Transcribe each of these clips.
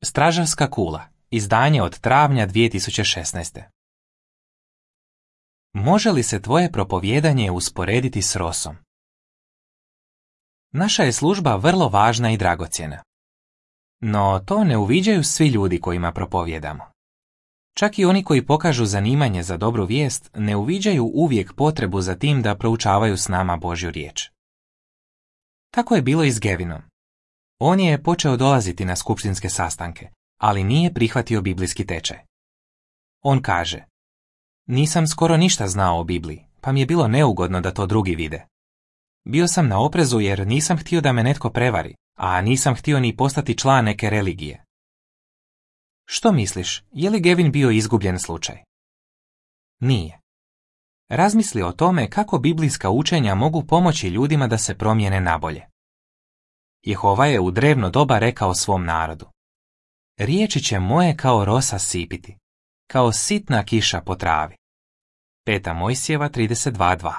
Stražarska kula, izdanje od travnja 2016. Može li se tvoje propovijedanje usporediti s rosom? Naša je služba vrlo važna i dragocjena. No to ne uviđaju svi ljudi kojima propovijedamo. Čak i oni koji pokažu zanimanje za dobru vijest ne uviđaju uvijek potrebu za tim da proučavaju s nama Božju riječ. Tako je bilo i s Gavinom. On je počeo dolaziti na skupštinske sastanke, ali nije prihvatio biblijski tečaj. On kaže: nisam skoro ništa znao o Bibliji, pa mi je bilo neugodno da to drugi vide. Bio sam na oprezu jer nisam htio da me netko prevari, a nisam htio ni postati član neke religije. Što misliš, je li Gavin bio izgubljen slučaj? Nije. Razmisli o tome kako biblijska učenja mogu pomoći ljudima da se promijene nabolje. Jehova je u drevno doba rekao svom narodu: riječi će moje kao rosa sipiti, kao sitna kiša po travi. 5. Mojsijeva 32.2.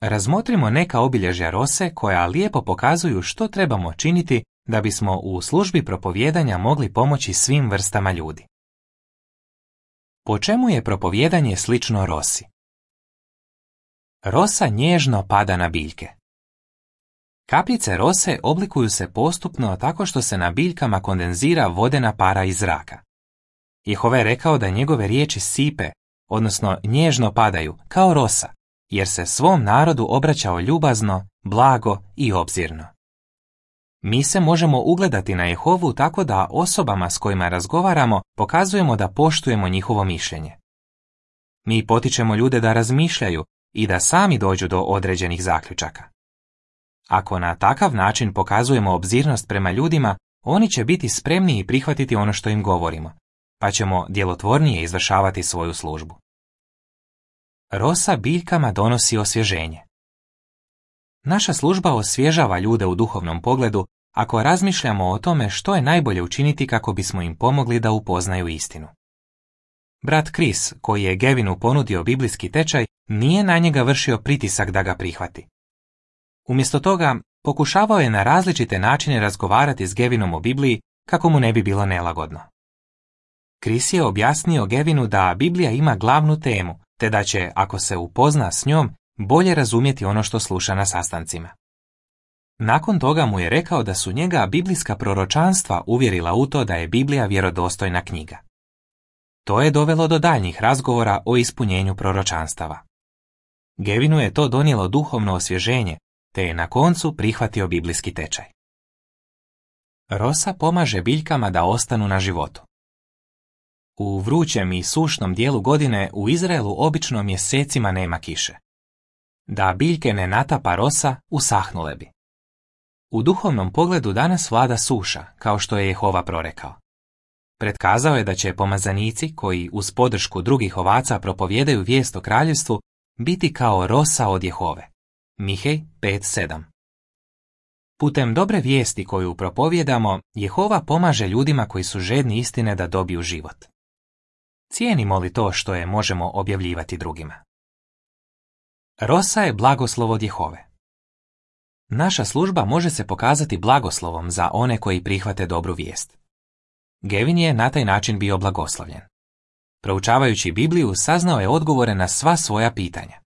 Razmotrimo neka obilježja rose koja lijepo pokazuju što trebamo činiti da bismo u službi propovijedanja mogli pomoći svim vrstama ljudi. Po čemu je propovijedanje slično rosi? Rosa nježno pada na biljke. Kapljice rose oblikuju se postupno tako što se na biljkama kondenzira vodena para iz zraka. Jehova je rekao da njegove riječi sipe, odnosno nježno padaju, kao rosa, jer se svom narodu obraćao ljubazno, blago i obzirno. Mi se možemo ugledati na Jehovu tako da osobama s kojima razgovaramo pokazujemo da poštujemo njihovo mišljenje. Mi potičemo ljude da razmišljaju i da sami dođu do određenih zaključaka. Ako na takav način pokazujemo obzirnost prema ljudima, oni će biti spremniji prihvatiti ono što im govorimo, pa ćemo djelotvornije izvršavati svoju službu. Rosa biljkama donosi osvježenje. Naša služba osvježava ljude u duhovnom pogledu ako razmišljamo o tome što je najbolje učiniti kako bismo im pomogli da upoznaju istinu. Brat Chris, koji je Gavinu ponudio biblijski tečaj, nije na njega vršio pritisak da ga prihvati. Umjesto toga, pokušavao je na različite načine razgovarati s Gavinom o Bibliji kako mu ne bi bilo nelagodno. Chris je objasnio Gavinu da Biblija ima glavnu temu, te da će, ako se upozna s njom, bolje razumjeti ono što sluša na sastancima. Nakon toga mu je rekao da su njega biblijska proročanstva uvjerila u to da je Biblija vjerodostojna knjiga. To je dovelo do daljnjih razgovora o ispunjenju proročanstava. Gavinu je to donijelo duhovno osvježenje, te je na koncu prihvatio biblijski tečaj. Rosa pomaže biljkama da ostanu na životu. U vrućem i sušnom dijelu godine u Izraelu obično mjesecima nema kiše. Da biljke ne natapa rosa, usahnule bi. U duhovnom pogledu danas vlada suša, kao što je Jehova prorekao. Pretkazao je da će pomazanici, koji uz podršku drugih ovaca propovijedaju vijest o kraljevstvu, biti kao rosa od Jehove. Mihej 5.7. Putem dobre vijesti koju propovijedamo, Jehova pomaže ljudima koji su žedni istine da dobiju život. Cijenimo li to što je možemo objavljivati drugima? Rosa je blagoslov od Jehove. Naša služba može se pokazati blagoslovom za one koji prihvate dobru vijest. Gavin je na taj način bio blagoslovljen. Proučavajući Bibliju, saznao je odgovore na sva svoja pitanja.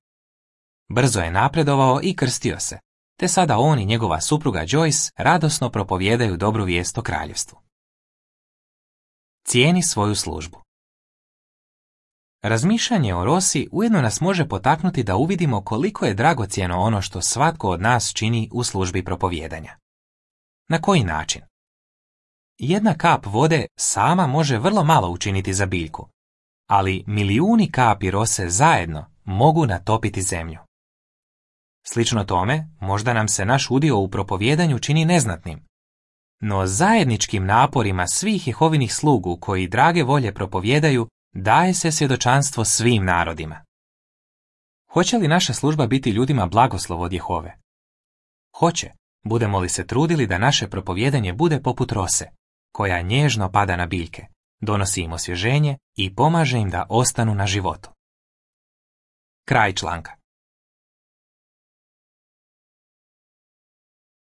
Brzo je napredovao i krstio se, te sada on i njegova supruga Joyce radosno propovijedaju dobru vijest o kraljevstvu. Cijeni svoju službu. Razmišljanje o rosi ujedno nas može potaknuti da uvidimo koliko je dragocjeno ono što svatko od nas čini u službi propovijedanja. Na koji način? Jedna kap vode sama može vrlo malo učiniti za biljku, ali milijuni kapi rose zajedno mogu natopiti zemlju. Slično tome, možda nam se naš udio u propovijedanju čini neznatnim. No zajedničkim naporima svih Jehovinih slugu koji drage volje propovijedaju, daje se svjedočanstvo svim narodima. Hoće li naša služba biti ljudima blagoslov od Jehove? Hoće, budemo li se trudili da naše propovijedanje bude poput rose, koja nježno pada na biljke, donosi im osvježenje i pomaže im da ostanu na životu. Kraj članka.